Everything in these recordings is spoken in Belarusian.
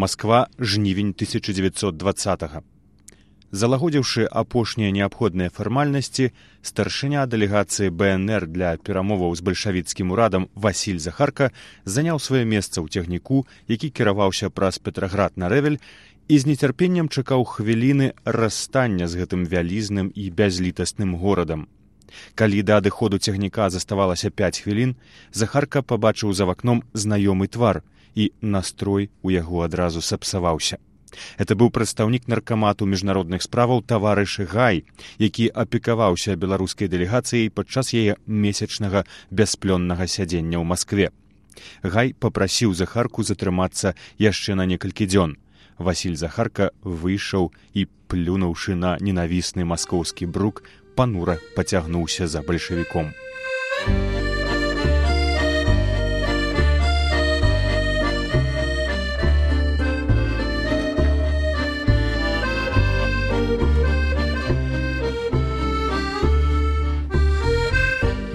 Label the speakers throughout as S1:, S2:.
S1: Масква, жнівень 1920-го. Залагодзіўшы апошнія неабходныя фармальнасці, старшыня дэлегацыі БНР для перамоваў з бальшавіцкім урадам Васіль Захарка заняў сваё месца ў цягніку, які кіраваўся праз Петраград на Рэвель, і з нецярпеннем чакаў хвіліны расстання з гэтым вялізным і бязлітасным горадам. Калі да адыходу цягніка заставалася 5 хвілін, Захарка пабачыў за вакном знаёмы твар, і настрой у яго адразу сапсаваўся. Это быў прадстаўнік наркамату міжнародных справаў таварыш Гай, які апекаваўся беларускай дэлегацыяй падчас яе месячнага бясплённага сядзення ў Маскве. Гай папрасіў Захарку затрымацца яшчэ на некалькі дзён. Васіль Захарка выйшаў і, плюнуўшы на ненавісны маскоўскі брук, панура пацягнуўся за бальшавіком.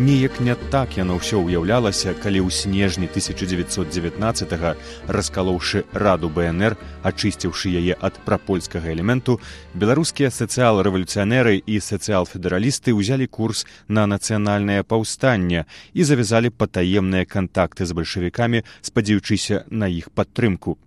S1: Неяк не так яно ўсё ўяўлялася, калі ў снежні 1919-го, раскалоўшы Раду БНР, ачысціўшы яе ад прапольскага элементу, беларускія сацыял-рэвалюцыянеры і сацыял-федэралісты ўзялі курс на нацыянальнае паўстанне і завязалі патаемныя кантакты з бальшавікамі, спадзяючыся на іх падтрымку.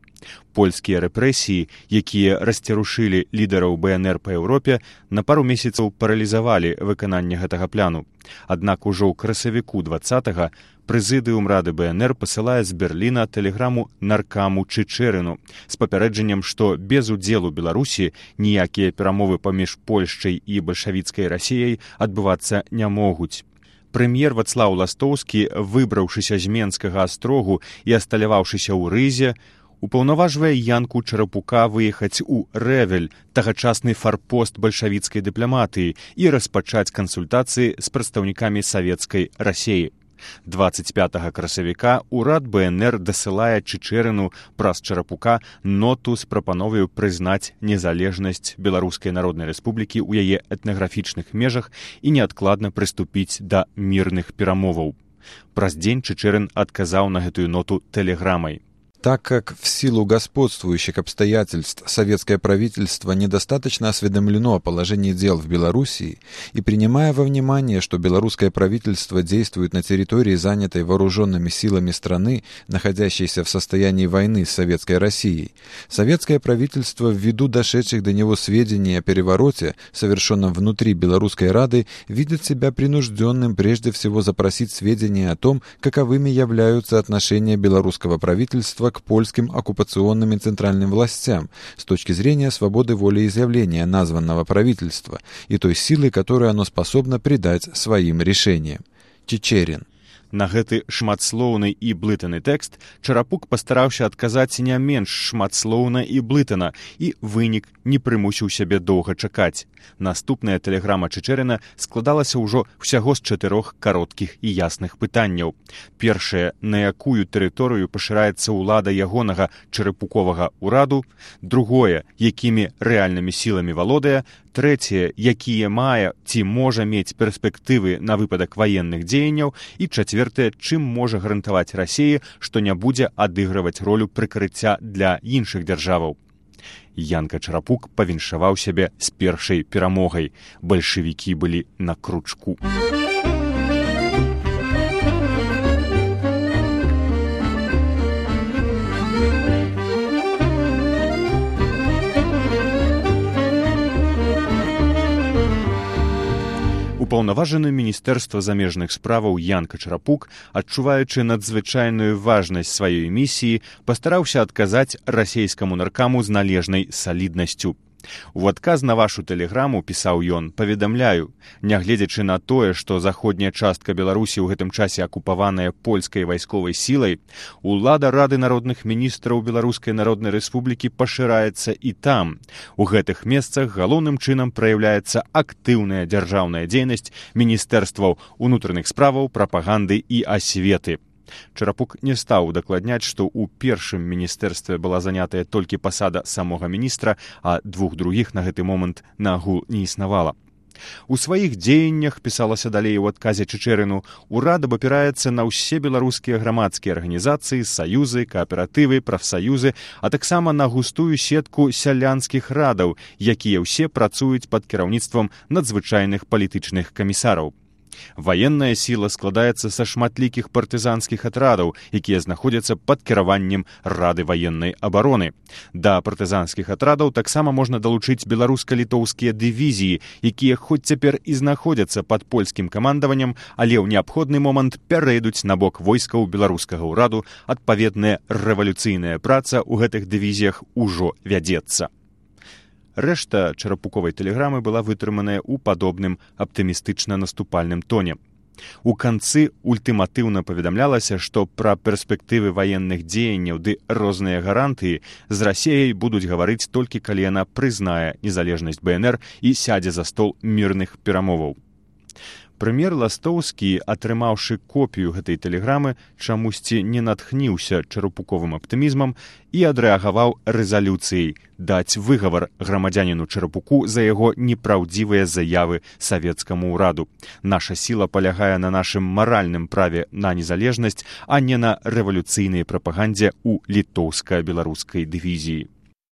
S1: Польскія рэпрэсіі, якія расцярушылі лідараў БНР па Еўропе, на пару месяцаў паралізавалі выкананне гэтага пляну. Аднак ужо ў красавіку 20-го прэзідыум Рады БНР пасылае з Берліна тэлеграму наркаму Чичерину з папярэджаннем, што без удзелу Беларусі ніякія перамовы паміж Польшчай і бальшавіцкай Расіяй адбывацца не могуць. Прэм'ер Вацлаў Ластоўскі, выбраўшыся з Менскага астрогу і асталяваўшыся ў Рызе, упаўнаважвае Янку Чарапука выехаць у Рэвель, тагачасны фарпост бальшавіцкай дыпламатыі, і распачаць кансультацыі з прадстаўнікамі савецкай Расіі. 25 красавіка ўрад БНР дасылае Чичерину праз Чарапука ноту з прапановаю прызнаць незалежнасць Беларускай Народнай Рэспублікі ў яе этнаграфічных межах і неадкладна прыступіць да мірных перамоваў. Праз дзень Чичерин адказаў на гэтую ноту тэлеграмай.
S2: Так как в силу господствующих обстоятельств советское правительство недостаточно осведомлено о положении дел в Белоруссии и принимая во внимание, что белорусское правительство действует на территории, занятой вооруженными силами страны, находящейся в состоянии войны с Советской Россией, советское правительство ввиду дошедших до него сведений о перевороте, совершенном внутри Белорусской Рады, видит себя принужденным прежде всего запросить сведения о том, каковыми являются отношения белорусского правительства к польским оккупационным и центральным властям с точки зрения свободы волеизъявления названного правительства и той силы, которую оно способно придать своим решениям. Чичерин.
S1: На гэты шматслоўны і блытаны тэкст Чарапук пастараўся адказаць не менш шматслоўна і блытана, і вынік не прымусіў сябе доўга чакаць. Наступная тэлеграма Чичерина складалася ўжо ўсяго з 4 кароткіх і ясных пытанняў. Першае, на якую тэрыторыю пашыраецца ўлада ягонага чарапуковага ўраду, другое, якімі рэальнымі сіламі валодае, трэцяе, якія мае ці можа мець перспектывы на выпадак ваенных дзеянняў, і чацвёртае, чым можа гарантаваць Расіі, што не будзе адыгрываць ролю прыкрыцця для іншых дзяржаваў. Янка Чарапук павіншаваў сябе з першай перамогай. Бальшавікі былі на кручку. Упаўнаважаны міністэрства замежных справаў Янка Чарапук, адчуваючы надзвычайную важнасць сваёй місіі, пастараўся адказаць расейскаму наркаму з належнай саліднасцю. У адказ на вашу тэлеграму, пісаў ён, паведамляю, нягледзячы на тое, што заходняя частка Беларусі ў гэтым часе акупаваная польскай вайсковай сілай, улада Рады народных міністраў Беларускай Народнай Рэспублікі пашыраецца і там. У гэтых месцах галоўным чынам праяўляецца актыўная дзяржаўная дзейнасць міністэрстваў унутраных справаў, прапаганды і асветы. Чарапук не стаў удакладняць, што ў першым міністэрстве была занятая толькі пасада самога міністра, а двух другіх на гэты момант наагул не існавала. У сваіх дзеяннях, пісалася далей у адказе Чичэрыну, урад абапіраецца на ўсе беларускія грамадскія арганізацыі, саюзы, кааператывы, прафсаюзы, а таксама на густую сетку сялянскіх радаў, якія ўсе працуюць пад кіраўніцтвам надзвычайных палітычных камісараў. Ваенная сіла складаецца са шматлікіх партызанскіх атрадаў, якія знаходзяцца пад кіраваннем Рады ваеннай абароны. Да партызанскіх атрадаў таксама можна далучыць беларуска-літоўскія дывізіі, якія хоць цяпер і знаходзяцца пад польскім камандаваннем, але ў неабходны момант пярэйдуць на бок войскаў беларускага ўраду. Адпаведная рэвалюцыйная праца ў гэтых дывізіях ужо вядзецца. Рэшта чарапуковай тэлеграмы была вытрыманая ў падобным аптымістычна-наступальным тоне. У канцы ультыматыўна паведамлялася, што пра перспектывы ваенных дзеянняў ды розныя гарантыі з Расіяй будуць гаварыць толькі калі яна прызнае незалежнасць БНР і сядзе за стол мірных перамоваў. Прэм'ер Ластоўскі, атрымаўшы копію гэтай тэлеграмы, чамусьці не натхніўся чарапуковым аптымізмам і адрэагаваў рэзалюцыяй даць выгавар грамадзяніну Чарапуку за яго непраўдзівыя заявы савецкаму ўраду. Наша сіла палягае на нашым маральным праве на незалежнасць, а не на рэвалюцыйнай прапагандзе ў літоўска-беларускай дывізіі.